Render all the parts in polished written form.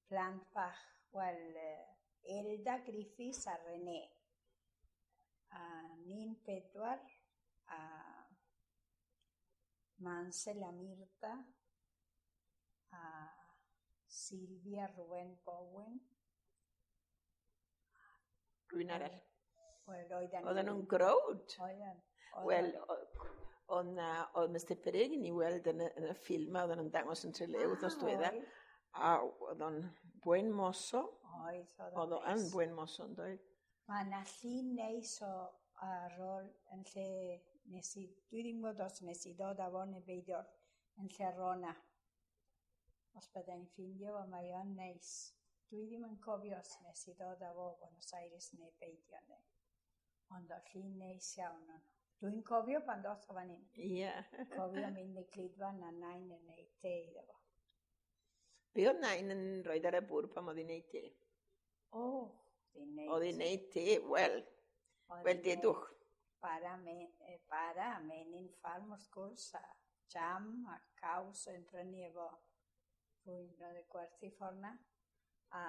Plant bach, wel, Elda Griffiths a René. A ni'n pedwar, a Mansel a Mirta, a Sylvia Rwen Bowen. Rwy'n arall. Wel, oedden Oedden nhw'n growd. Oedden. Wel, oedd na, oedd Mr Peregrine i weld yn y ffilm a oedden nhw'n dangos yn Trelew wythnos diwetha. A oedd o'n buen mozo. Oedd, oedd o'n yn buen mozo, yn dweud. Mae yna llun neis o ar ôl yn lle nes i, dwi ddim yn gwybod os nes i ddod â fo neu beidio, yn lle Rona. Os byddai'n ffindio fo, mae o'n neis. Dwi ddim yn cofio os nes i ddod â fo o Buenos Aires neu beidio. Neu. Ond o llun neis iawn o'n. Dwi'n cofio pan ddoth o fan hyn. Cofio mynd i Glidfan a nain yn neud te iddo fo. Be oedd nain yn rhoi ar y bwrdd pan oedd hi'n neud te? O, hi'n neud. Oedd hi'n neud te, wel, wel dedwch. Bara a menyn ffarm wrth gwrs, a jam a caws yn prynu efo rhywun oedd y gwerthu ffordd na. A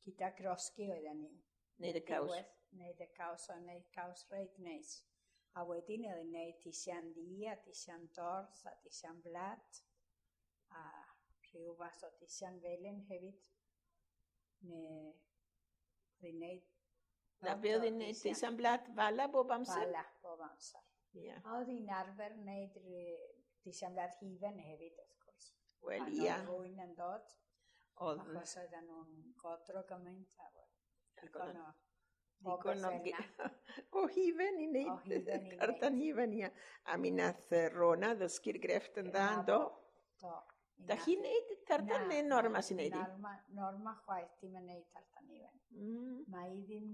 gyda grosgi oedden ni. Neud y caws. Neud y caws, o'n neud caws reit neis. A wedyn oedd hi'n neud tisian ddu a tisian dorth a tisian blat. A rhyw fath o tisian felen hefyd. Neu oedd hi'n neud Na be oedd hi'n neud tisian blat fala bob amser? Fala bob amser. A oedd hi'n arfer neud tisian blat hufen hefyd, wrth gwrs. Wel, ia. Pan oedd rhywun yn dod. Oedd. Achos oedden nhw'n godro gymaint a digon o digon o hufen i wneud tartan hufen, ia. A mi nath Rona ddysgu'r grefft yn dda, yn do? Do. Da chi'n neud tartan neu Norma sy'n neud i? Norma chwaith ddim yn neud tartan hufen. Mae hi ddim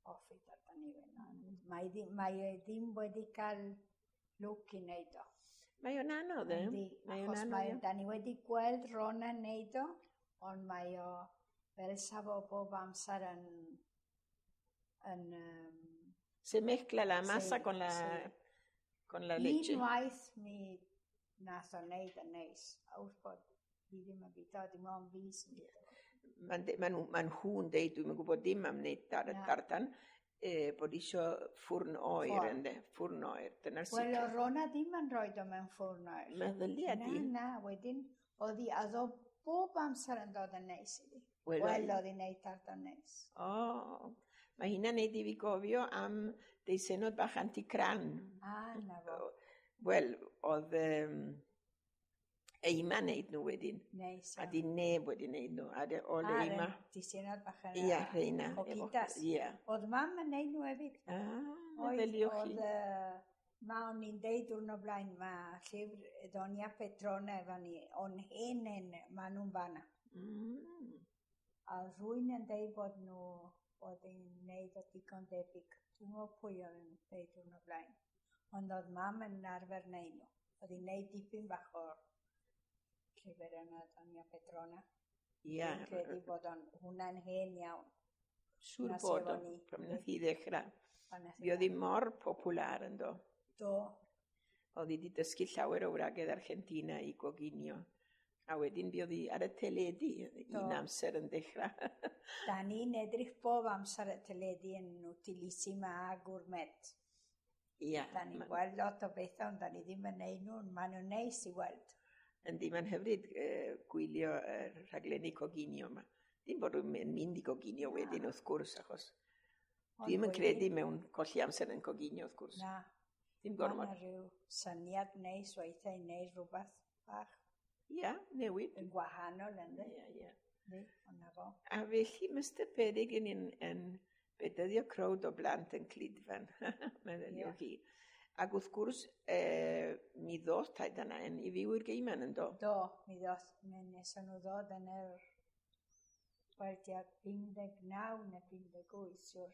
hoffi tartan hufen. Mae e ddim wedi cael lwc i wneud o. Mae o'n anodd, e? Mae o'n anodd. Da ni wedi gweld Rona neud o, ond mae o fel sa fo bob amser yn Se mezcla la masa con la leche. Unwaith mi nath o wneud yn neis, a wrth bod fi ddim yn bwyta, dim ond fi sy'n bwyta. Ma nhw'n deud, dwi'm yn gwybod dim am wneud tartan, bod isio ffwrn oer ynddo, ffwrn oer, dyna'r sicr. Wel, o Rona ddim yn rhoi o mewn ffwrn oer. Meddylia di. Na, na, wedyn, oedd hi, oedd o bob amser yn dod yn neis iddi. Wel, oedd hi'n neud tartan neis. O, mae hynna'n neud i fi gofio am deisennod bach Anticran. Ah, na fo. Wel, oedd Eima neud nhw wedyn. Neis. A di neb wedi neud nhw. A de, oedd Eima. Deisennod bach yn. Ia, rheina. Coquitas. Ia. Oedd mam yn neud nhw hefyd. Ah, meddyliwch chi. Oedd, ma o'n i'n deud diwrnod blaen, mae llyfr Doña Petrona efo ni, o'n hen hen, ma nhw'n fanna. A rwy'n yn deud bod nhw bod hi'n neud o digon debyg. Dwi'n gwybod pwy oedd yn deud diwrnod blaen. Ond oedd mam yn arfer neud nhw. Oedd hi'n neud dipyn bach o'r llyfr yna, Doña Petrona. Ia. Dwi'n credu bod o'n hwnna'n hen iawn. Siŵr bod o, pan nath hi ddechrau. Mi oedd hi mor popular yn do. Do. Oedd hi wedi dysgu llawer o wragedd Argentina i goginio. A wedyn buodd hi ar y teledu un amser yn dechrau. Da ni'n edrych bob amser y teledu yn Utilissima a Gourmet. Ia. Da ni'n gweld lot o bethau, ond da ni ddim yn neud nhw, maen nhw'n neis i weld. Yndi, mae'n hyfryd gwylio rhaglenni coginio yma. Dim bod nhw'n mynd i goginio wedyn wrth gwrs, achos ddim yn credu mewn colli amser yn coginio wrth gwrs. Na. Dim gormod. Mae rhyw syniad neis weithiau i wneud rhywbeth bach. Ia, newid. Yn gwahanol, ynddi? Ia. Yndi, ond fo. A felly, Mr Peregrine yn bedyddio crowd o blant yn Clidfan, meddyliwch chi. Ac wrth gwrs, mi ddoth taid a nain i fyw i'r Gaiman yn do? Do, mi ddoth, mi neson nhw ddod yn yr, wel, tua 59 neu 58, siwr.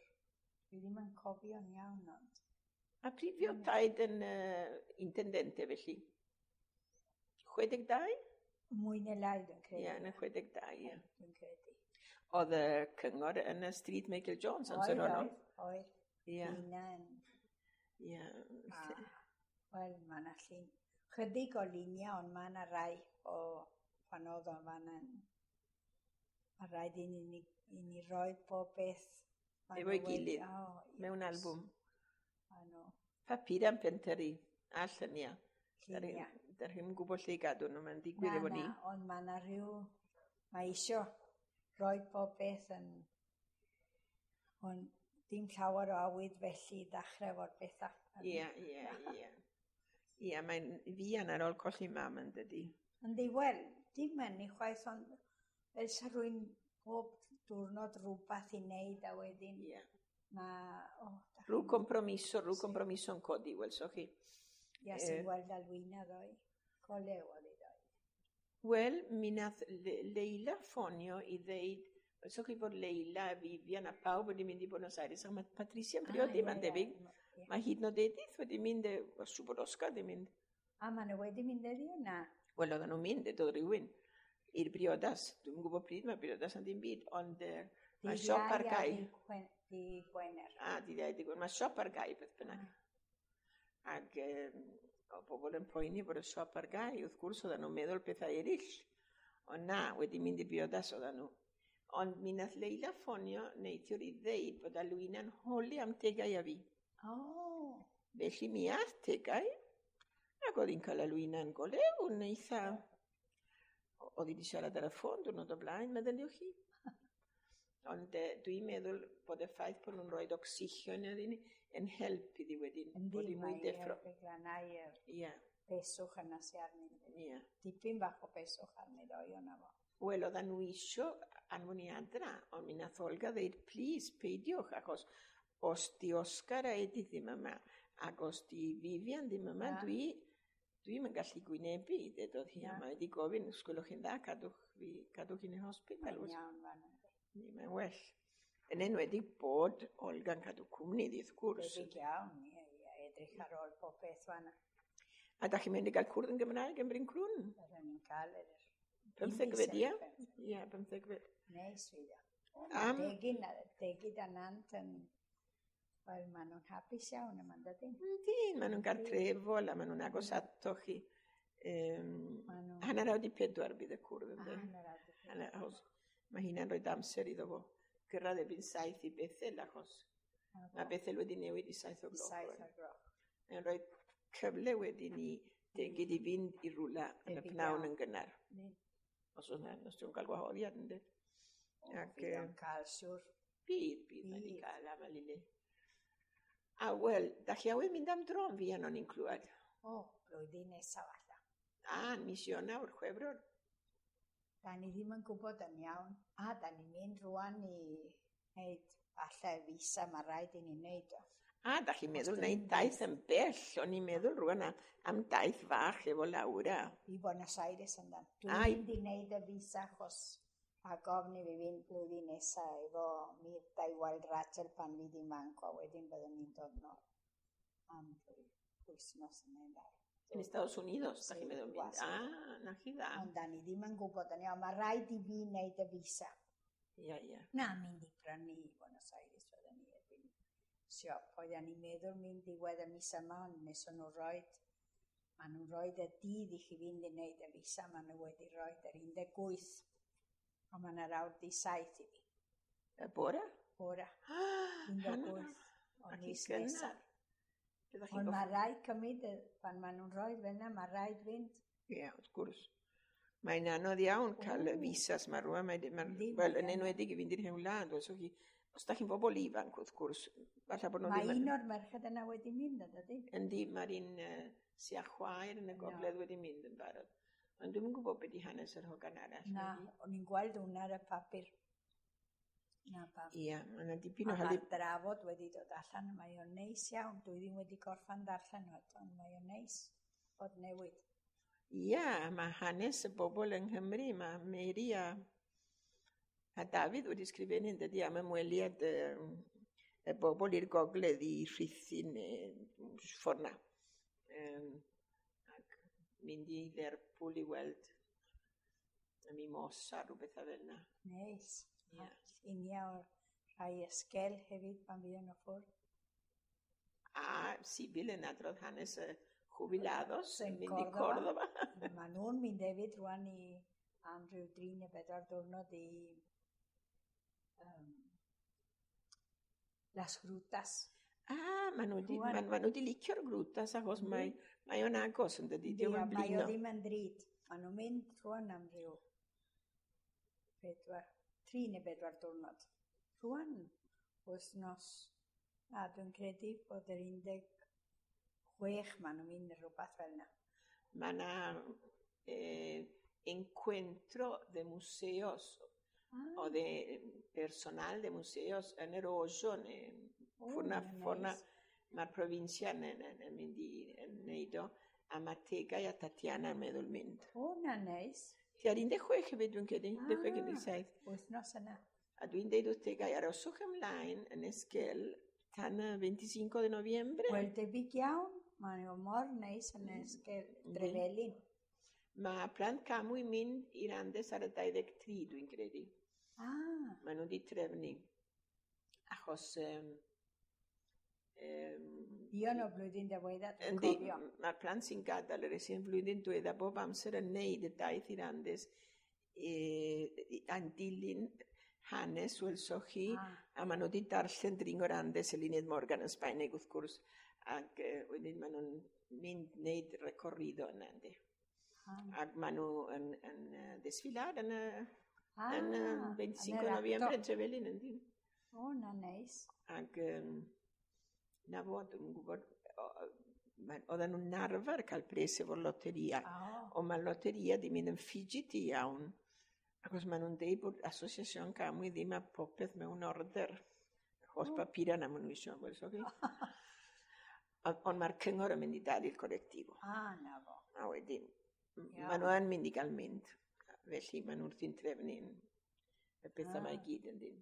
Dwi ddim yn cofio'n iawn, ond. A pryd fuodd taid yn intendente felly? 62? Mwy neu lai, dwi'n credu. Ie, yn y 62, ie. Dwi'n credu. Oedd y cyngor yn y stryd Michael Jones amser honno? Oedd, oedd. Ie. Hynna. Ie. Wel, mae yna llun. Chydig o luniau, ond mae yna rai o pan oedd o'n fan yn. Mae rhaid i ni roi pob beth. Efo'i gilydd, mewn albwm. Papur am pentyrru, a lluniau. Lluniau. Da chi'm yn gwybod lle i gadw nhw, mae'n digwydd efo ni. Na, ond mae yna rhyw... Mae isio rhoi pob beth yn... Ond dim llawer o awydd felly i ddechrau efo'r bethau. Ie, ie, ie. Ie, mae'n fuan ar ôl colli mam yn dydi. Yndi, wel, dim yn i chwaith, ond fel sa rhywun pob diwrnod rhywbeth i wneud a wedyn mae... Oh, rhyw compromiso, rhyw compromiso yn codi, welsoch chi. Ia, sy'n gweld Alwina ddoe. Colew oedd hi ddoe. Wel, mi nath Leila ffonio i ddeud, welsoch chi bod Leila a Vivian a pawb wedi mynd i Buenos Aires, ac mae Patricia yn priodi, mae'n debyg. Mae hyd yn oed Edith wedi mynd, siŵr bod Oscar wedi mynd. A maen nhw wedi mynd heddiw, na? Wel, oedden nhw'n mynd, doedd rhywun i'r briodas. Dwi'm yn gwybod pryd mae briodas yn ddim byd, ond mae siop ar gau. Dydd Gwener. A, dydd Iau, dydd Gwener. Mae siop ar gau, beth bynnag. Ac o bobl yn poeni bod y siop ar gau, wrth gwrs oedden nhw'n meddwl pethau eraill. Ond na, wedi mynd i briodas oedden nhw. Ond mi nath Leila ffonio neithiwr i ddeud bod Alwyna'n holi am Tegau a fi. Oh. Felly mi ath Tegau, ac oedd hi'n cael Alwyna'n golew, yn eitha... Oedd hi wedi siarad ar y ffôn diwrnod o blaen, meddyliwch chi. Ond dwi'n meddwl bod y ffaith bod nhw'n rhoi ocsigen iddi ni yn help iddi wedyn. Yndi, bod hi mwy mae deffro. helpu glanhau yr peswch yna sy arni. Dipyn bach o peswch arni ddoe o'na fo. Wel, oedden nhw isio anfon i adra, ond mi nath Olga ddeud, plis, peidiwch, achos os di Oscar a Edith ddim yma, ac os di Vivian ddim yma, dwi'm yn gallu gwynebu, dedodd hi, a mae wedi gofyn, os gwelwch chi'n dda, cadwch hi'n yr hospital. Mae'n iawn fan yna. Mae'n well. Yn enwedig bod Olga'n cadw cwmni iddi, wrth gwrs. Debyg iawn, ie, ie, edrych ar ôl pob beth fan. A da chi'n mynd i gael cwrdd yn Gymraeg yn Bryn Crwn? Byddwn ni'n cael yr... Pymthegfed, ie? Ie, pymthegfed. Neis, fydd o. Degyd a Nant yn... Wel, maen nhw'n hapus iawn yma, dydyn? Yndi, maen nhw'n gartrefol a maen nhw'n agos ato chi. 3:30 bydd y cwrdd, ynddo? 3:30. Mae hynna'n rhoi amser iddo fo gyrraedd erbyn 7 i Bethel, achos mae Bethel wedi newid i 7 o'r gloch. 7 o'r gloch. Mae'n rhoi cyfle wedyn i Degyd i fynd i rwla yn y pnawn yn gynnar. Os oes na, os ti'n cael gwahoddiad, ynddi? Fydd o'n cael, siwr. Bydd, mae'n i gael am y lili. A wel, da chi awydd mynd am dro yn fuan o'n i'n clywed. O, blwyddyn nesaf falle. A, mis Ionawr, Chwefror. Da ni ddim yn gwybod yn iawn. A, da ni'n mynd rwan i wneud falle visa, mae rhaid i ni wneud o. A, da chi'n meddwl wneud daith yn bell. O'n i'n meddwl rwan am daith fach efo Laura. I Buenos Aires yndan. Dwi'n mynd i wneud y visa achos a gofyn i fi fynd blwyddyn nesaf efo Mirta i weld Rachel pan fydd hi'n manco, a wedyn byddwn ni'n dod nôl am wythnos yn ei ddau. Yn Estados Unidos, da chi'n meddwl mynd? A, na chi dda. Ond da ni ddim yn gwybod yn iawn, mae rhaid i fi wneud y visa. Ia, ia. Na, mynd i brynu i Buenos Aires oedden ni erbyn siop. Oedden ni'n meddwl mynd diwedd y mis yma, ond nes o'n nhw roed, maen nhw'n roed y dydd i chi fynd i wneud y visa, maen nhw wedi roed yr 18. Ond maen nhw'n awr di 7 i fi. Y bore? Bore. 18 o mis nesaf. Ond Ond mae rhaid cymryd, pan maen nhw'n rhoi fel yna, mae rhaid fynd. Ie, wrth gwrs. Mae'n anodd iawn cael y visas ma rwan. Wel, yn enwedig i fynd i'r hen wlad. Os da chi'n bobl ifanc, wrth gwrs, falle bod nhw ddim Mae un o'r merched yna wedi mynd, ydy? Yndi, mae'r un sy â chwaer yn y gogledd wedi mynd yn barod. Ond dwi'm yn gwybod beth di hanes yr hogan arall. Na, o'n i'n gweld hwnna ar y papur. Na pam. Ia, mae yna dipyn o A hali... mae'r drafod wedi dod allan, mae o'n neis iawn. Dwi ddim wedi gorffan darllen nhw eto, ond mae o'n neis bod newid. Ia, mae hanes y bobl yng Nghymru, mae Mary a Dafydd wedi sgrifennu yn dydi am ymweliad y bobl i'r gogledd i Rhuthun neu ffordd 'na. Ac mynd i Lerpwl i weld y mimosa, rhywbeth fel yna. Neis. Ie. Lluniau o'r rhai esgel hefyd pan fuon nhw ffwrdd. A Sibyl yn adrodd hanes y jubilados yn Yn mynd i Córdoba. Córdoba. Maen nhw'n mynd hefyd rwan i am ryw 3 neu 4 diwrnod i Las Grutas. Ah, maen nhw 'di Rŵan. ma' nhw 'di licio'r Grutas achos mae o'n agos yn dydi, Yndi, dio'm a yn mae o blino. ddim yn ddrud. Maen nhw'n mynd rŵan am ryw 4, 3 neu 4 diwrnod. Rŵan, wythnos, a dwi'n credu bod yr 16 maen nhw'n mynd rhywbeth fel yna. Mae 'na encuentro de museos o de personal de museos yn yr Ojo neu ffwrna Mae'n ffwrna neis. Mae'r provincia yn mynd i yn neud o a mae Tegau a Tatiana yn meddwl mynd. O, na neis. Tua'r 16 hefyd dwi'n credu, 16, 17. Wythnos yna. A dwi'n deud wrth Tegau, aroswch ymlaen yn Esquel tan y 25 de noviembre. Wel, debyg iawn. Mae o mor neis yn Esquel Trevelin. Mae plant Camu i mynd i'r Andes ar y 23, dwi'n credu. Maen nhw wedi trefnu. Achos Dion o blwyddyn diwedda, dwi'n yndi, cofio. Mae'r plant sy'n gadael yr sy'n flwyddyn diwedda bob amser yn neud y daith i'r Andes a'n dilyn hanes welsoch chi, a maen nhw wedi darllen Dringo'r Andes Eluned Morgan yn Sbaeneg wrth gwrs, ac wedyn maen nhw'n mynd wneud recorrido yna, yndi. Ac maen nhw yn desfilar yn y 25 yn de yr noviembre acto. yn Trevelin, yndi. O, na neis. Ac na fo, dwi'n gwybod, oedden nhw'n arfer cael pres efo'r loteria. Ond mae'r loteria di mynd yn fidgety iawn, achos maen nhw'n deud bod Asociación Camwy ddim â popeth mewn order. Holl papura na maen nhw eisiau, welsoch chi. Ond mae'r cyngor yn mynd i dalu'r colectivo. Ah, na fo. A wedyn, maen nhw yn mynd i gael mynd. Felly maen nhw wrthi'n trefnu y pethau yma i gyd yn dyn.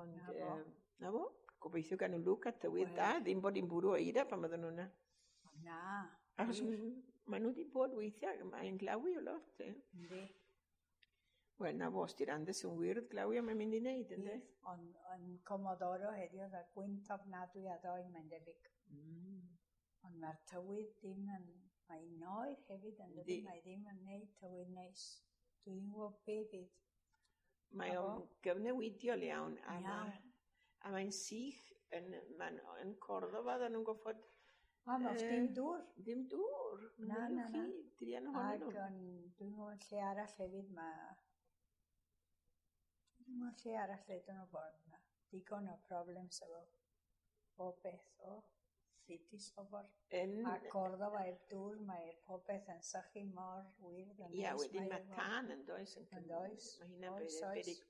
Ond, Na fo. Na fo, gobeithio gan nhw lwc a tywydd da, ddim bod hi'n bwrw eira pan bydden nhw yna. Na. Achos maen nhw wedi bod weithiau, mae'n glawi o lot. Eh? Yndi. Wel, na fo, os di'r Andes yn wyrdd glawi, mae'n mynd i wneud, ynddo? Ond yn Comodoro heddiw, oedd y gwynt ofnadwy a ddoe, mae'n debyg. Ond mae'r tywydd ddim yn... Mae'n oer hefyd yn dydi, Yndi. mae ddim yn neud tywydd neis. Dwi ddim yn gwybod be fydd. Mae Na o'n gyfnewidiol iawn, a, a mae'n sych yn, mae'n, yn Cordoba, oedden nhw'n goffod O, mae dim dŵr. Ddim dŵr. Na, na, na. Chi, druan ohonyn Ac nhw. yn, dwi'n gwybod lle arall hefyd mae... Dwi'n gwybod lle arall lle dyn nhw bod yna. Digon o problems efo bob beth o. Litis o bor. A Cordoba heb dŵr, mae popeth yn sychu mor wyrdd yn Ia, neis, wedyn mae efo- tân yn does? Yn does? Mae hynna'n Oes, oes. beryg.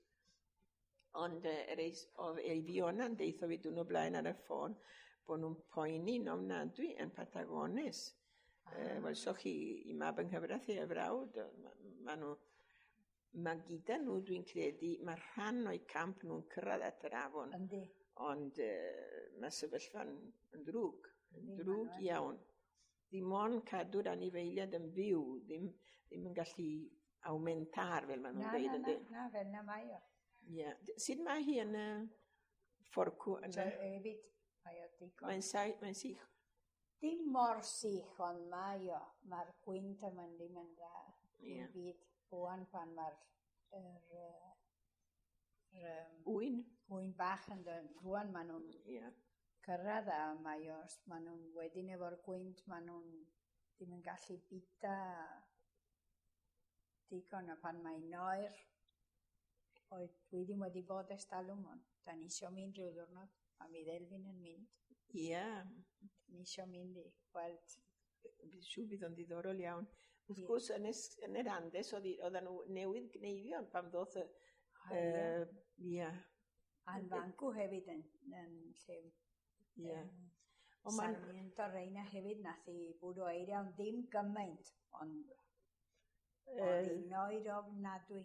Ond oedd Eifiona'n deitho fi dwrnod blaen ar y ffôn bod nhw'n poeni'n ofnadwy yn Patagones. Welsoch chi i mab yng nghyfraith ei frawd, ma nhw, mae gyda nhw, dwi'n credu, mae rhan o'u camp nhw'n cyrraedd at yr afon. Ond mae sefyllfa'n yn ddrwg, yn Yndi, ma' ddrwg nhw yn. iawn. Ddim ond cadw'r anifeiliaid yn fyw, ddim yn gallu aumentar fel maen nhw'n Na, dweud, na, na, yndi? na, fel na mae o. Ie. Sut mae hi yn y fforcw So, yna? hefyd, mae o digon. Mae'n sych. Dim mor sych, ond mae o. Mae'r gwynt yma'n ddim yn dda. Dim byd. Rŵan pan mae'r yr Wyn. ŵyn bach yn dod. Rŵan maen nhw'n cyrraedd a mae os maen nhw'n wedyn efo'r gwynt, maen nhw'n ddim yn gallu bita digon a pan mae'n oer. Oedd, dwi ddim wedi bod ers talwm, ond da ni isio mynd rhyw ddiwrnod, a mi ddelfyn yn mynd. Da ni isio mynd i gweld. Bydd siŵr bydd o'n diddorol iawn. Wrth gwrs, yn yr Andes, oedden nhw newydd gneifio pan ddoth y Ah, ie. Ie. A'n fancw hefyd yn lle Ond ma'n Sarmiento Reina hefyd nath i bwrw eira, ond ddim gymaint, ond oedd hi'n oer ofnadwy.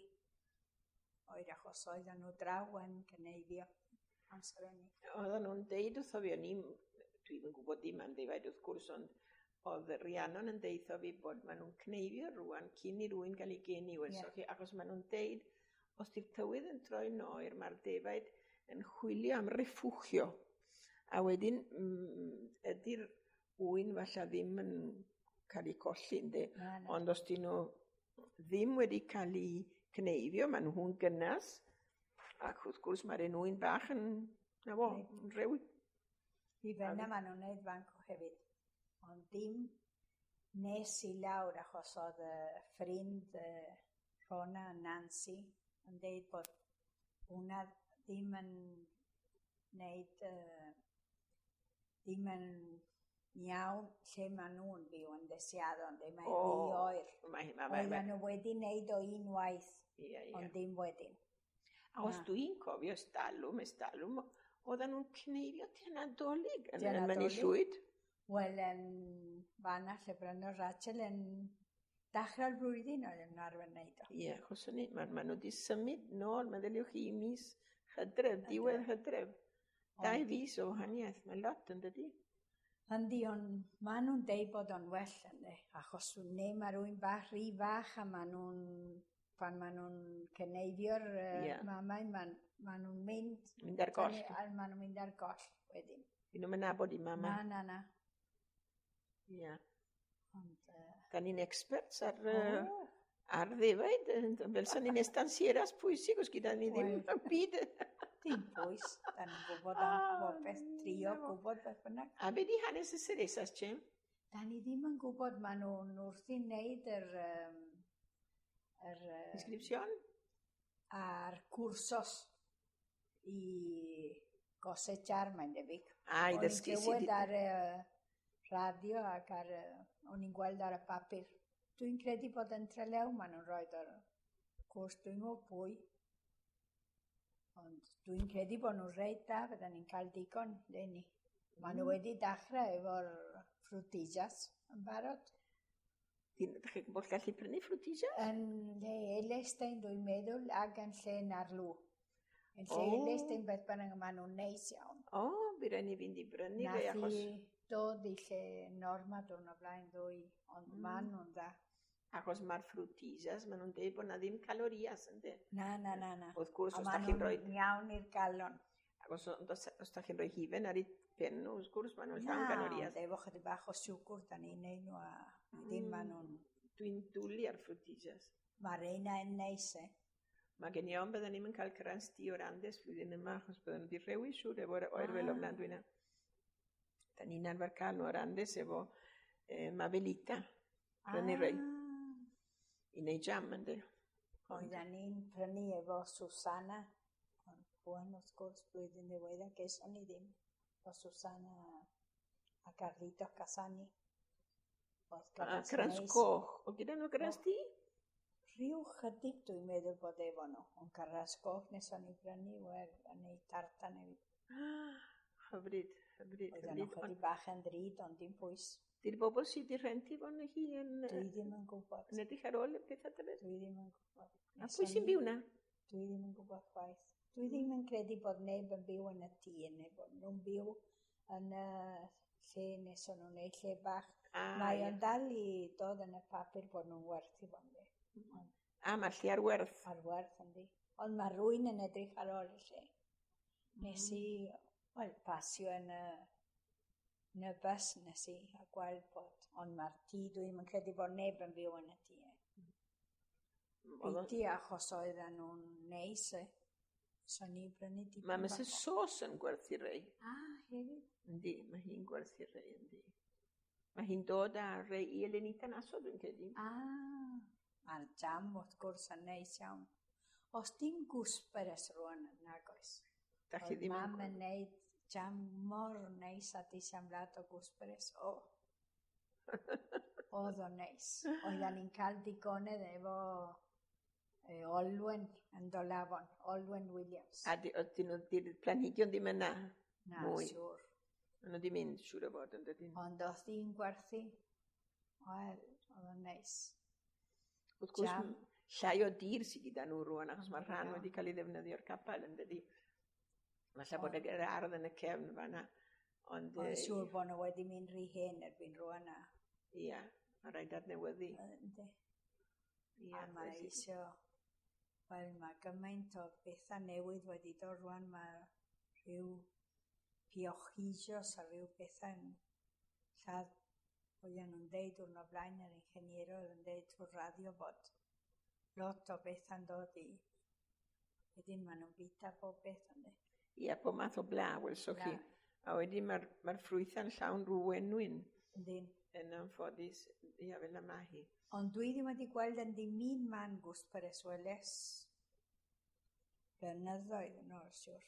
Oer achos oedden nhw draw yn cneifio amser hynny. Oedden nhw'n deud wrtho fi, o'n i'n, dwi'm yn gwybod dim am ddefaid wrth gwrs, ond oedd Rhiannon yn deitho fi bod maen nhw'n cneifio rŵan cyn i rywun gael ei geni, welsoch chi, achos maen nhw'n deud, os di'r tywydd yn troi'n oer, mae'r defaid yn chwilio am refugio. A wedyn, ydy'r ŵyn falle ddim yn cael eu colli, yndi? Na, na. Ond os dyn nhw ddim wedi cael eu cneifio, maen nhw'n gynnas, Ac wrth gwrs mae'r enwyn bach yn, na fo, yn rewi. I fan'na maen nhw'n neud fanco hefyd. Ond dim nes i lawr achos oedd y ffrind Rhona Nancy yn deud bod hwnna ddim yn neud, ddim yn iawn lle maen nhw'n byw yn Desiado, ond mae'n rhy oer. Oedden nhw wedi neud o unwaith, ond dim wedyn. A os dwi'n cofio estalwm, oedden nhw'n cneifio tua Nadolig yn Mynydd Llwyd. Wel, yn fan'na lle brynodd Rachel yn dechrau'r blwyddyn oedd yn arfer wneud o. Ie, achos o'n i, ma nhw wedi symud nôl, meddyliwch chi, mis Hydref, diwedd Hydref. 2 fis o wahaniaeth, mae lot yn dydi? Yndi, ond maen nhw'n deud bod o'n well, yndi, achos neu mae rhywun bach rhy fach a maen nhw'n, pan maen nhw'n cyneifio'r mamau, maen nhw'n mynd... Mynd ar goll. Maen nhw'n mynd ar goll wedyn. Dyn nhw'n nabod i mama. Na, na, na. Ie. Ond... Da ni'n experts ar, ar ddefaid, fel sa'n ni'n estancieras pwysig os gyda ni ddim yn byd. Dim pwys, da ni'n gwybod am bopeth, trio gwybod beth bynnag. A be di hanes y Ceresas, Jim? Da ni ddim yn gwybod, maen nhw'n wrthi'n neud yr... Inscription? A'r cwrsos i gosechar, mae'n debyg. A, i ddysgu sut... O'n i'n clywed ar y radio ac ar... O'n i'n gweld ar y papur. Dwi'n credu bod yn Trelew maen nhw'n rhoi o'r cwrs, dwi'n gwybod pwy. Ond dwi'n credu bod nhw'n reit da, fydden ni'n cael digon leni. Maen nhw wedi dechrau efo'r ffrwtijas yn barod. Dych chi'n bod gallu prynu ffrwtijas? Yn lle Elestein, dwi'n meddwl, ac yn lle Narlw. Yn lle Elestein, beth bynnag, maen nhw'n neis iawn. O, by raid ni fynd i brynu rei achos... Nath i dod i lle Norma diwrnod blaen ddwy, ond maen nhw'n dda. Achos mae'r ffrwtijas, maen nhw'n dweud bod na ddim calorias, ynddi? Na, na, na, na. Wrth gwrs, os da chi'n rhoi... A maen nhw'n iawn i'r galon. Ac os da chi'n rhoi hufen ar eu pen nhw, wrth gwrs, maen nhw'n llawn calorias. Na, efo chydig bach o siwgr, da ni'n neud nhw a ddim maen nhw'n... Dwi'n dwlu ar ffrwtijas. Mae'r reina yn neis, e. Mae gen i ofn bydden ni'm yn cael crans du o'r Andes flwyddyn yma, achos bydden nhw wedi rhewi siŵr efo'r oerfel ofnadwy yna. Da ni'n arfer cael nhw o'r Andes efo Mabelita, prynu rei. I wneud jam, yndi. Oedden ni'n prynu efo Susana, ond rŵan wrth gwrs blwyddyn ddiweddar geson ni ddim, efo Susana a Carlito Casani. A crans coch, o gyda nhw crans du? Rhyw chydig dwi'n meddwl bod efo nhw, ond crans coch neson ni brynu, wel, a neud tartan hefyd. Hyfryd, hyfryd. Oedden nhw chydig bach yn ddrud, ond dim pwys. Di'r bobl sydd wedi rhentu fo'n hi yn... Dwi ddim yn gwybod. Yn edrych ar ôl y pethau tybed? Dwi ddim yn gwybod. A pwy sy'n byw na? Dwi ddim yn gwybod chwaith. Dwi ddim yn credu bod neb yn byw yn y tŷ, neu bod nhw'n byw yn y lle nes o'n nhw'n neud lle bach. Mae o'n dal i dod yn y papur bod nhw'n werthu fo, yndi. A mae'r lle ar werth. Ar werth, yndi. Ond mae rhywun yn edrych ar ôl y lle. Nes i, wel, pasio yn y... Yn y bus nes i a gweld bod, ond mae'r tŷ, dwi'n yn credu bod neb yn byw yn y tŷ. Biti achos oedden nhw'n neis, e. So ni brynu dipyn. Mae Mrs Sos yn gwerthu rei. A, hefyd. Yndi, mae hi'n gwerthu rei, yndi. Mae hi'n dod â rei i Elenita Naso, dwi'n credu. A, mae'r jam wrth gwrs yn neis iawn. Os dim gwsberes rŵan nag oes. Da chi ddim yn... Mam yn neud jam mor neis a disiamlad o gwsberes. O, oedd o'n neis. Oedden ni'n cael digonedd efo Olwen yn Dolafon, Olwen Williams. A di'r planhigion ddim yna? Na, siŵr. Maen nhw wedi mynd, siŵr o fod, yn dydyn. Ond oedd hi'n gwerthu, wel, oedd o'n neis. Wrth gwrs, llai o dir sydd gyda nhw rŵan, achos mae'r rhan wedi cael ei ddefnyddio'r capel, yn dydi. Falle bod yr ardd yn y cefn fan'na. Ond siŵr bod nhw wedi mynd rhy hen erbyn rŵan. Ia, mae rhaid adnewyddu. Yndi. A mae eisio, wel, mae gymaint o bethau newydd wedi dod rŵan, mae rhyw piochisios a rhyw bethau yn lladd. Oedden nhw'n deud diwrnod blaen, yr ingeniero oedd yn deud trwy'r radio bod lot o bethau'n dod i wedi Wedyn maen nhw'n bita bob beth, ynddi. Ia, pob math o bla, welsoch chi. Bla. A wedyn mae'r ffrwythau'n llawn rhyw wenwyn. Yndyn. Yn anffodus, ia, fel 'na ma hi. Ond dwi ddim wedi gweld yn ddim un man gooseberries weles blynyddoedd yn ôl, siwr.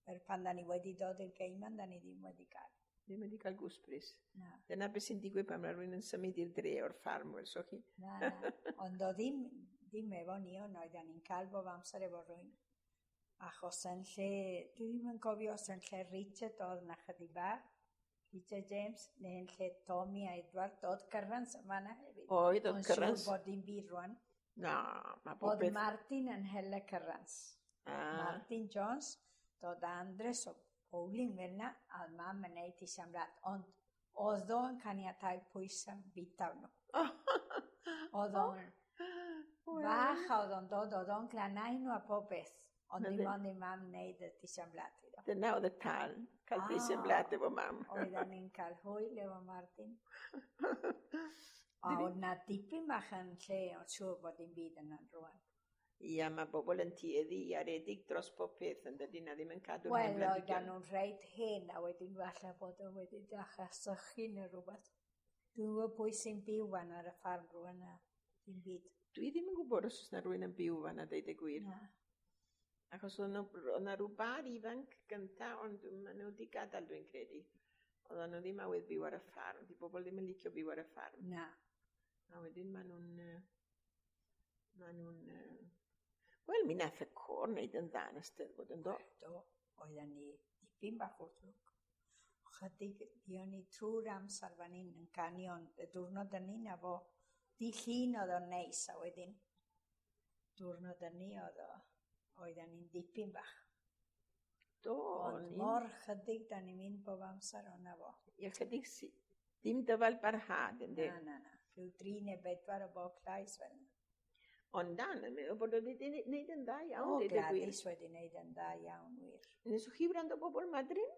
Er pan da ni wedi dod i'r Gaiman, da ni ddim wedi cael. Ddim wedi cael gooseberries. Na. Dyna beth sy'n digwydd pan mae rhywun yn symud i'r dre o'r ffarm, welsoch chi. Na, na. Ond o ddim efo ni, ond oedden ni'n cael bob amser efo rhywun. Achos yn lle, dwi ddim yn cofio os yn lle Richard oedd na chydig bach, Richard James, neu yn lle Tommy a Edward, oedd cyrrans yma na hefyd. Oedd Ond cyrrans. siŵr bod dim byd rwan. Na, mae bob Oedd beth. Martin yn hel y cyrrans. Martin Jones, dod Andres o Bowling fel na, a oedd mam yn neud i siamrad. Ond oedd o'n caniatáu pwysau bita nhw. Oedd o'n fach a oedd o'n dod, oedd o'n glanau nhw a pob beth. Ond Na dim fe. ond i mam wneud y tisiamblad iddo. Dyna oedd y tal, cael deisen blat efo mam. Oedden ni'n cael hwyl efo Martin. A oedd na dipyn bach yn lle, ond siŵr bod dim byd yna'n rwan. Ia, mae bobl yn tueddu i aredig dros pob peth yn dydy, na ddim yn cadw'r Wel, hen oedden blanhigion. nhw'n reit hen a wedyn falle bod o wedi dechrau sychu neu rhywbeth. Dwi'n gwybod pwy sy'n byw fan ar y ffarm rwan a dim byd. Dwi ddim yn gwybod os oes na rhywun yn byw fan a deud y gwir. Na. Achos oedd 'na rhyw bar ifanc gynta, ond maen nhw wedi gadael, dwi'n credu. Oedden nhw ddim awydd byw ar y ffarm. Di bobl ddim yn licio byw ar y ffarm. Na. A wedyn maen nhw'n, wel, mi nath y côr wneud yn dda yn y Steddfod, yn do? Do, oedden ni dipyn bach o ddrwg. Chydig, fuon ni trwy'r amser fan hyn yn canu, ond y diwrnod yn na fo, di llun oedd o'n neis, a wedyn diwrnod yn ni oedd o, oedden ni'n dipyn bach. Do, Ond o'n i'n mor chydig da ni'n mynd bob amser o'na fo. Ie, chydig ddim dyfal barhad, yndi? Na, na, na. Rhyw 3 neu 4 o bob llais fel 'na. Ond na, yn meddwl bod wedi wneud yn dda iawn, O, deud y gwir. Gladys wedi wneud yn dda iawn, wir. Neswch chi wrando bobl Madryn?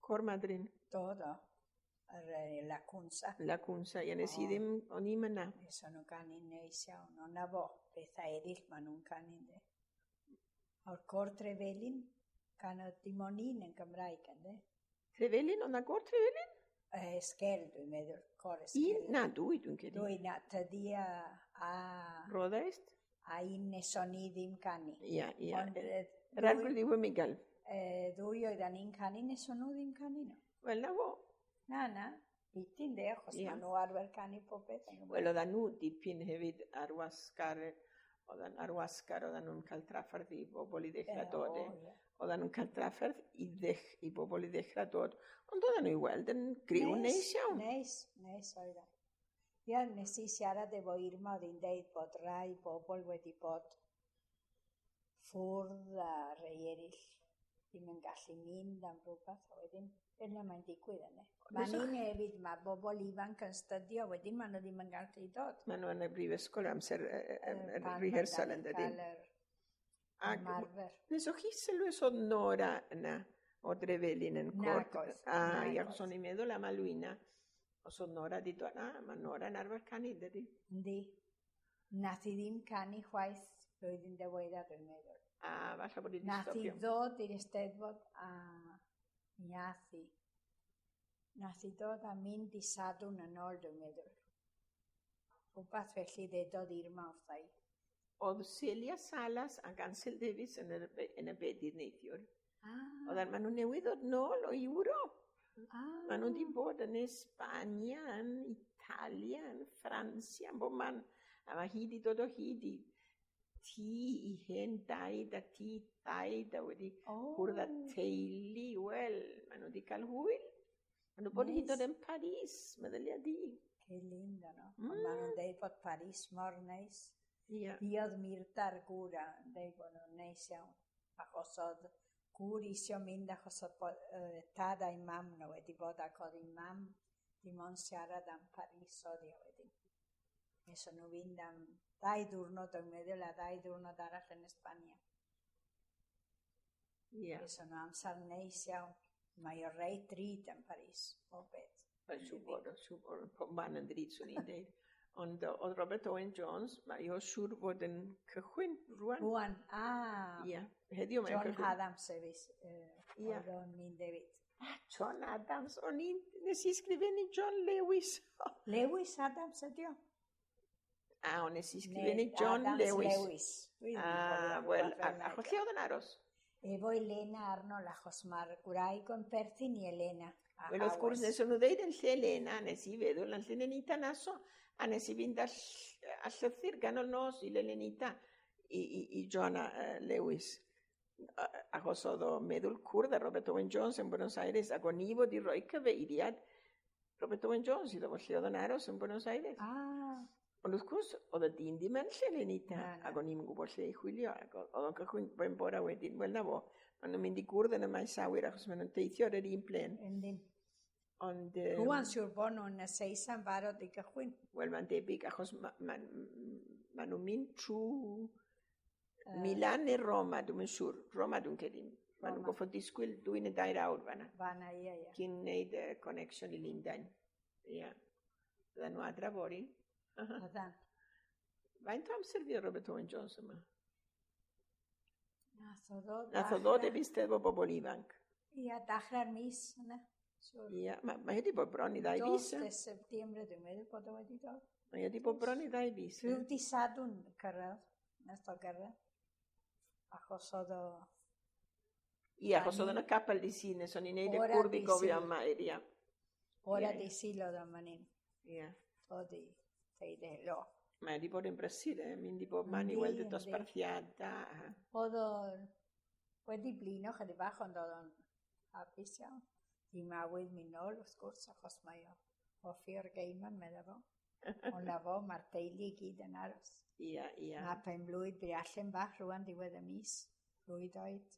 Côr Madryn. Do, do. Yr La Cunza. La Cunza, ie, nes i O. ddim, o'n i'm yna. Nes o'n nhw'n canu'n neis iawn. Ond na fo, pethau eraill maen nhw'n canu, ynddi. O'r Côr Trefelin, canodd dim ond un yn Gymraeg, ynddi. Trefelin, oedd na gôr Trefelin? Esgel, dwi'n meddwl, Côr Esgel. Un, na, dwy, dwi'n credu. Dwy, na, tydi a, Roddaist? a un neson ni ddim canu. Ia, ia. Ond Yr arglwydd yw y Miguel. Ddwy oedden ni'n canu, neson nhw ddim canu nhw. Wel, na fo. Na, na, biti ynde, achos Ie. maen nhw arfer canu pob beth yn Gymraeg. Wel, oedden nhw dipyn hefyd ar wasgar, oedden ar wasgar, oedden nhw'n cael trafferth i bobl i ddechrau dod. O, E. ie. Oedden nhw'n cael trafferth i bobl i ddechrau dod, ond oedden nhw i weld yn griw neis iawn. Neis, neis oedden. Ia, nes i siarad efo Irma, oedd hi'n deud bod rai bobl wedi bod ffwrdd a rei eraill ddim yn gallu mynd am rhywbeth, a wedyn fel 'na mae'n digwydd yna. Mae Neswch- ni'n hefyd, mae bobl ifanc yn stydio, wedyn maen nhw ddim yn gallu dod. Maen nhw yn y brifysgol amser y Pan rehearsal ma'n yn dydyn. cael yr Ac ymarfer. Neswch chi sylwi os oedd Nora yna o Drefelin yn Nag cwrdd? oedd, A, nag ia, achos oedd. o'n i'n meddwl am Alwyna. Os oedd Nora di dod, na, mae Nora yn arfer canu, dydy. Yndi. Nath hi ddim canu chwaith blwyddyn diwedda, dwi'n meddwl. A falle bod hi wedi Nath hi stopio. ddod i'r Eisteddfod a mi ath hi. Nath hi dod a mynd i Sadwrn yn ôl, dwi'n meddwl. Rhywbeth felly ddedodd Irma wrtha i. Oedd Celia Salas ac Ansel Davies yn y bedydd neithiwr. Oedden, maen nhw newydd ddod nôl o Ewrop. Maen nhw wedi bod yn Esbania, yn Italia, yn Ffrancia, yn bob man. A mae hi wedi dod o hyd i tŷ i hen daid a tŷ taid a wedi cwrdd â teulu. Wel, maen nhw wedi cael hwyl. Maen nhw bod hyd yn oed yn Paris, meddylia di. Que lindo, no? Ond maen nhw'n deud bod Paris mor neis. Ia. Fuodd Mirta'r gŵr a yn deud bod nhw'n neis iawn. Achos oedd gŵr isio mynd achos oedd tad a'i mam nhw wedi bod ac oedd ei mam dim ond siarad am Paris oedd hi wedyn. Nes o'n nhw fynd am 2 diwrnod dwi'n meddwl a 2 diwrnod arall yn Esbania. Ia. Nes o'n nhw amser neis iawn. Mae o reit drud yn Paris, bob beth. Wel, siŵr bod, siŵr bod, pob man yn drud, swn i'n deud. Ond oedd Robert Owen Jones, mae o siŵr fod yn cychwyn rwan. Rwan, ah. Ia, heddiw mae'n John cychwyn. Adams hefyd, Ia. oedd o'n mynd hefyd. Ah, John Adams, o'n i'n, nes i sgrifennu John Lewis. Lewis Adams ydi o? A, o'n nes i sgrifennu Neu John Adams Lewis. Lewis. Dwi ddim yn Ah, cofio wel, rhywbeth fel 'na. achos lle oedd yn aros? Efo Elena Arnold, achos mae'r gwraig o'n perthyn i Elena. A Wel, wrth gwrs, Howells. nes nhw ddeud yn lle Elena, nes i feddwl yn lle Lenita Naso, a nes i fynd â llythyr ganol nos i Lenita, i John Lewis. Achos oedd o meddwl cwrdd â Robert Owen Jones yn Buenos Aires, ac o'n i fod i roi cyfeiriad Robert Owen Jones iddo fo lle oedd o'n aros yn Buenos Aires. Ah, Ond wrth gwrs, oedd y dyn ddim yn lle Lenita, Na, na. ac o'n i'n gwybod lle i chwilio, ac oedd o'n cychwyn ben bora wedyn, wel na fo, maen nhw'n mynd i gwrdd yn y maes awyr achos maen nhw'n teithio ar yr un plen. Yndyn. Ond, Rwan siŵr bod nhw'n y Seisa'n barod i gychwyn. Wel, mae'n debyg, achos ma nhw'n mynd trwy Milan neu Roma, dwi'n siŵr. Roma dwi'n credu. Ma nhw'n Roma. goffod disgwyl 2 neu 3 awr fanna, Fanna, ie. cyn wneud y connection i Lundain. Ia. Byddan nhw adra fory. Byddan. Faint o amser fuodd Robert Owen Jones yma? Nath o ddod. Nath o ddod efo Eisteddfod Bobl Ifanc. Ia, dechrau'r mis yna. Siŵr. Ia, mae wedi bod bron i 2 fis. Dos de Septiembre, dwi'n meddwl bod o wedi dod. Mae wedi bod bron i 2 fis. Rhyw di Sadwrn cyrraedd, nath o gyrraedd. Achos oedd o. Ia, achos oedd yn y capel di Sul, nes o'n i'n neud y Ora cwrdd i di gofio Sul. am Mair, ia. Ora Ie. di Sul oedd o'n fan hyn. Ia. Dod i ddeud helo. Mae wedi bod yn brysur, eh? Mynd i bob man i Yndi, weld y dosbarthiadau. Oedd o wedi blino chydig bach, ond oedd o'n hapus iawn. Dim awydd mynd nôl, wrth gwrs, achos mae o hoffi o'r Gaiman, medda fo. Ond na fo, mae'r teulu i gyd yn aros. Ia, ia. Mae penblwydd Briallen bach rwan diwedd y mis, blwydd oed.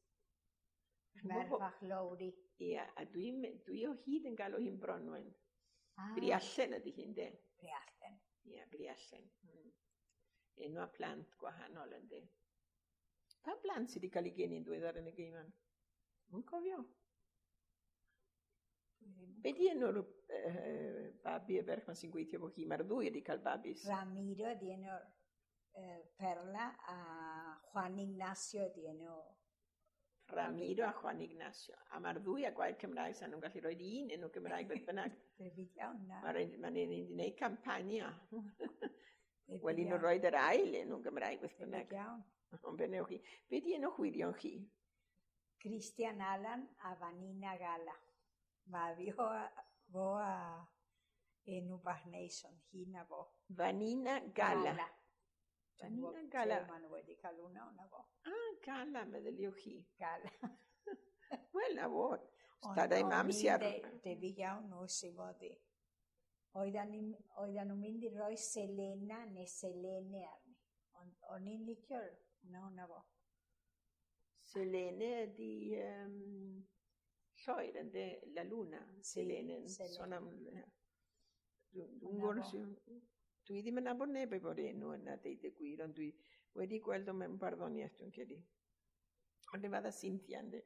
Merch fach Lowri. Ia, a dwi o hyd yn galw hi'n Bronwen. Ah, Briallen ydy hi'n de. Briallen. Ia, Briallen. Enw a plant gwahanol yndi. Pa blant sydd wedi cael ei geni'n ddiweddar yn y Gaiman? Mwyn cofio. Be di enw'r babi y ferch ma sy'n gweithio efo hi? Mae'r ddwy wedi cael babis. Ramiro ydi enw'r Perla a Juan Ignacio ydi enw. Ramiro a Juan Ignacio. A mae'r ddwy a gwaed Cymraeg sa'n nhw'n gallu rhoi un enw Cymraeg beth bynnag. Debyg iawn na. Mae'n ma nhw'n mynd i wneud campania. Debyg Wel, un nhw'n iawn. rhoi yr ail enw Gymraeg beth bynnag. Debyg iawn. Ond be newch chi? Be di enw chwyddion chi? Cristian Alan a Vanina Gala. Mae fi o, fo a enw bach neis, ond hi na fo. Vanina Gala. Dwi'm Vanina gwbod Gala. lle maen nhw wedi cael hwnna, hwnna fo. Ah, Gala, meddyliwch chi. Gala. Wel, na fo. Ond Stadau o'n mam i'n sy ar... Debyg iawn nhw sy'n fod i. Oedden nhw'n mynd i roi Selena neu Selene arni. Ond o'n i'n licio hwnna, hwnna fo. Selene ydi lloer ynddo, la luna. Selene. Selene. Sôn am... Dwi'n Hwnna gwybod fo. Dwi ddim yn nabod neb efo'r enw yna, deud y gwir, ond dwi wedi gweld o mewn barddoniaeth, dwi'n credu. Ond efo Cynthia, ynddi.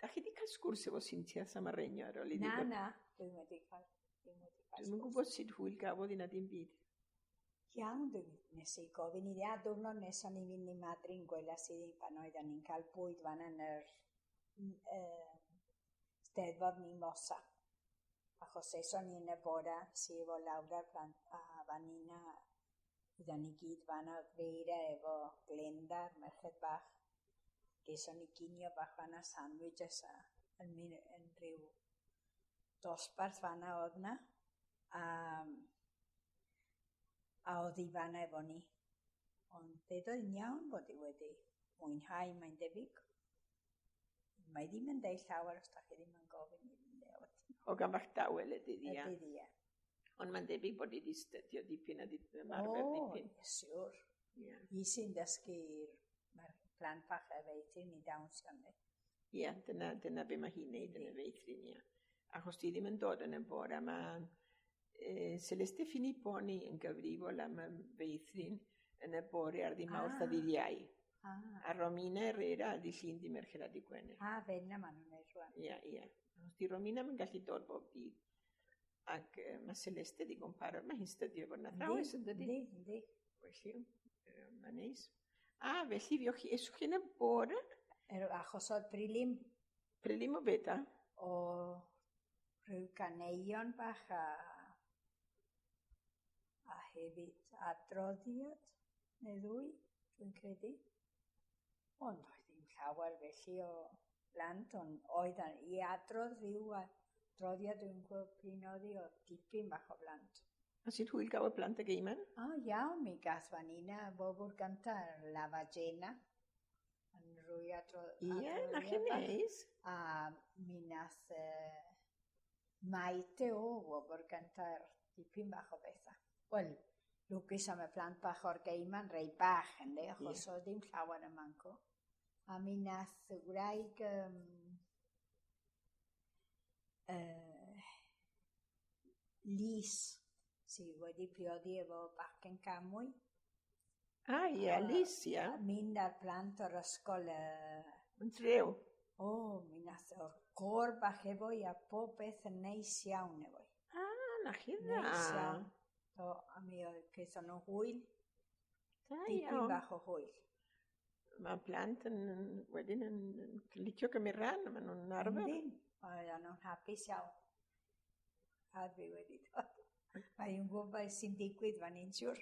Da chi wedi cael sgwrs efo Cynthia Samarenio ar ôl iddi Na, ddod? na, dwi'n wedi cael. Dwi'n wedi cael Dwi'm yn sgwrs. gwybod sut hwyl gafodd hi na dim byd. Iawn, dwi'n nes i gofyn iddi, a diwrnod nes o'n i'n fynd i Madrid gwelas iddi pan oedden ni'n cael bwyd fan yn yr Steddfod Mimosa. Achos eson ni yn y bora, si efo Laura plant, a Vanina, oedden ni gyd fan oedd Feira efo Glenda, merched bach. Geson ni ginio bach fanna, sandwiches a yn rhyw dosbarth fanna oedd na. A oedd hi fanna efo ni. Ond dedodd hi'n iawn bod hi wedi mwynhau, mae'n debyg. Mae ddim yn deud llawer os da chi ddim yn gofyn iddi de. O gan bach dawel ydy hi, ia. Ydy hi, ie. Ond mae'n debyg bod hi wedi stydio dipyn a di ymarfer O, dipyn. siwr. Ia, Hi sy'n dysgu'r mae'r plant bach y feithrin i dawnsio, yndi. Ia, dyna be mae hi'n neud yn y feithrin, ia. Achos di ddim yn dod yn y bore, mae Celeste Filipponi yn gyfrifol am y feithrin yn y bore ar ddydd Mawrth a ddydd Iau. Ah, A Romina Herrera dydd Llun, dydd Mercher a dydd Gwener. ah, fel na maen nhw'n neud rwan. Ia, ia. Achos di Romina yn gallu dod bob dydd. Ac mae Celeste ddigon parod, mae hi'n stydio fo'n athrawes, yn dydi? Yndi, yndi. Felly, mae'n neis. A, felly, fuoch chi, eswch chi yn y bore? Achos oedd prelim. Prelim o beth, a? O rhyw ganeuon bach a hefyd adroddiad neu ddwy, dwi'n credu. Ond oedd ddim llawer felly o blant, ond oedd i adrodd rhyw adroddiad, dwi'n gwybod prin oedd hi, o dipyn bach o blant. A sy'n hwyl gael y plant y geiman? O, iawn, mi gath fan yna bobl gynta, La Vagena, yn rwy Ie, na chi neis. A mi nath Maite o wobr gynta dipyn bach o bethau. Wel, lwcus am y plant bach o'r geiman, rei bach, ynddo, achos oedd ddim llawer yn manco. A mi nath y wraig Lys, sydd wedi priodi efo bachgen Camwy. Ah, ie, Lys, ie. Mynd â'r plant o'r ysgol. Yn trew? O, mi nath o'r côr bach efo i a pob beth yn neis iawn efo i. Ah, na chi dda. Neis iawn. Do, a mi oedd gaethon nhw hwyl. Da Dipyn iawn. Bach o hwyl. Mae plant yn, wedyn yn licio cymryd rhan, maen nhw'n arfer. Yndyn, oedden nhw'n hapus iawn. A dwi wedi dod. Mae hi'n gwybod beth sy'n digwydd fan hyn, siwr.